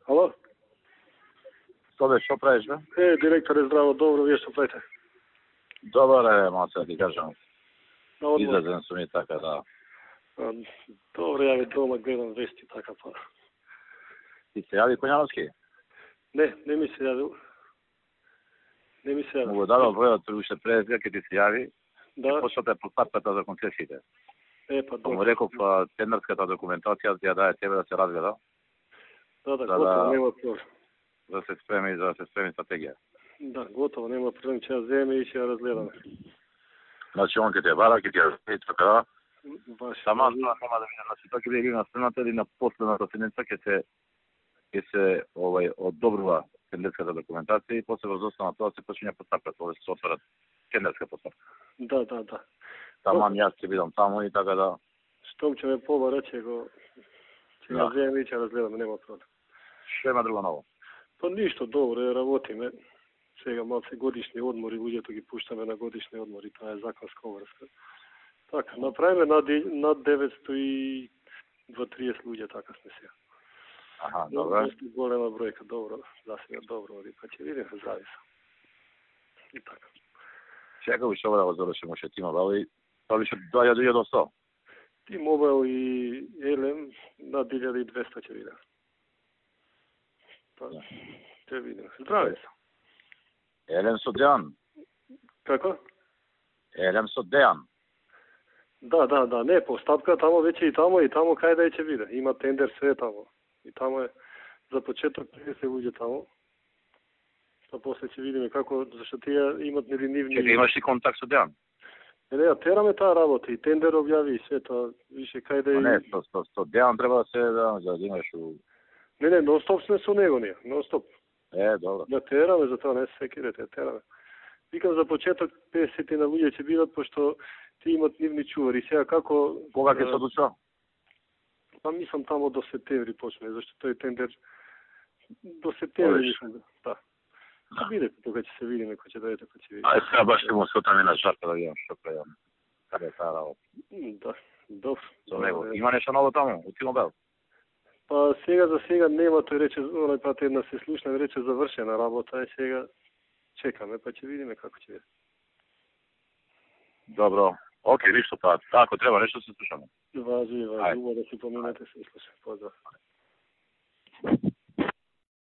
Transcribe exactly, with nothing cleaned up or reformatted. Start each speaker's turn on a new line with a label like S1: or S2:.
S1: Alo?
S2: Što beš, što praviš, ne?
S1: E, direktore, zdravo, dobro, vi što pravite?
S2: Dobar je, malo sad ti kažem.
S1: Na odmor.
S2: Izlazen su mi tako, da.
S1: A, dobro, ja već doma gledam vesti, tako pa.
S2: Ti se javi Konjanovski?
S1: Ne, ne mi se javi. Ne mi se javi.
S2: Mogu da da odbrojati više prezir, kad ti se javi,
S1: Da,
S2: pošto te postapkata za koncesijite.
S1: e pa
S2: Pa
S1: dobro.
S2: mu rekao, pa tenderskата dokumentacija ja daje tebe da se razgleda,
S1: Da, da,
S2: da,
S1: gotovo,
S2: da.
S1: nema problem.
S2: da se spremi, da se spremi strategija.
S1: Da, gotovo, nema problem, će ja zemlje ići, ja razgledam.
S2: Znači on kad te vara, kad te razgleda, tako da,
S1: Baš.
S2: Сама тоа нема да видам, значи тоа ќе биде на страната или на последната седница ќе се ќе се овај одобрува тендерската документација и после врз основа на тоа се почиња постапката, овде се отварат тендерска постапка.
S1: Da, da, da.
S2: Таман јас ќе бидам таму и така да.
S1: Što će me poba reći, go, će
S2: Da.
S1: ja zemlje ići, ja razgledam, nema problem.
S2: Што има друго ново?
S1: Pa ništa, dobro, je ravoti me. Svega malo se godišnji odmor i uđe gi pušta me na godišnji odmor i ta je zakonska ovrska. Tako, napravime nad, nad devetsto trideset ljudi, tako sam se.
S2: Аха, добро.
S1: Dosta golema brojka, dobro, da se ja dobro vodi, pa će vidim, zavisa. I tako.
S2: Чекај уште ова да го завршиме уште тима, бали, тоа више доаѓа до илјада и сто.
S1: T-Mobile i L M nad hiljadu dvesta će vidim. Pa, će vidim. Zdravi sam.
S2: Елем со Дејан.
S1: Kako?
S2: Елем со Дејан.
S1: Da, da, da, ne, postapka tamo već je i tamo i tamo kaj da će vide. Ima tender sve tamo. I tamo je za početak trideset uđe tamo. Pa posle će vidimo kako, zašto ti ja imat nelinivni...
S2: Чекај, имаш ли контакт со Дејан?
S1: Ne, ja terame ta работа и tender objavi i sve to, više kaj da
S2: Па
S1: je...
S2: не, со со со Дејан треба да се да да имаш у.
S1: Ne, ne, non stop sme su nego nije, non stop.
S2: Е, добро.
S1: Ja terame za to, ne se sekirate, ja terame. Vikam za početak pedeset na ljudje će bivat, pošto ti imat nivni čuvar i сега kako...
S2: Кога ќе се одлучува?
S1: Pa mislim tamo do septembri počne, zašto to je tender do septembri.
S2: Odiš.
S1: Mislim, da. Da. Vidite to kad će se vidimo, ko će dojeti, ko će vidjeti.
S2: Ај сега баш ќе му сутам и на шарка да видам што правам. Каде е таа работа?
S1: Да, dobro.
S2: Со него. Има нешто ново таму, у T-Mobile?
S1: Pa сега за сега нема, тој рече, оној пат една се слушна и рече завршена работа, и сега чекаме, па ќе видиме како ќе биде.
S2: Добро. Океј, ништо па, ако треба нешто се слушаме.
S1: Важи,
S2: Ајде.
S1: важи, убаво да си поминете, се слуша. Поздрав.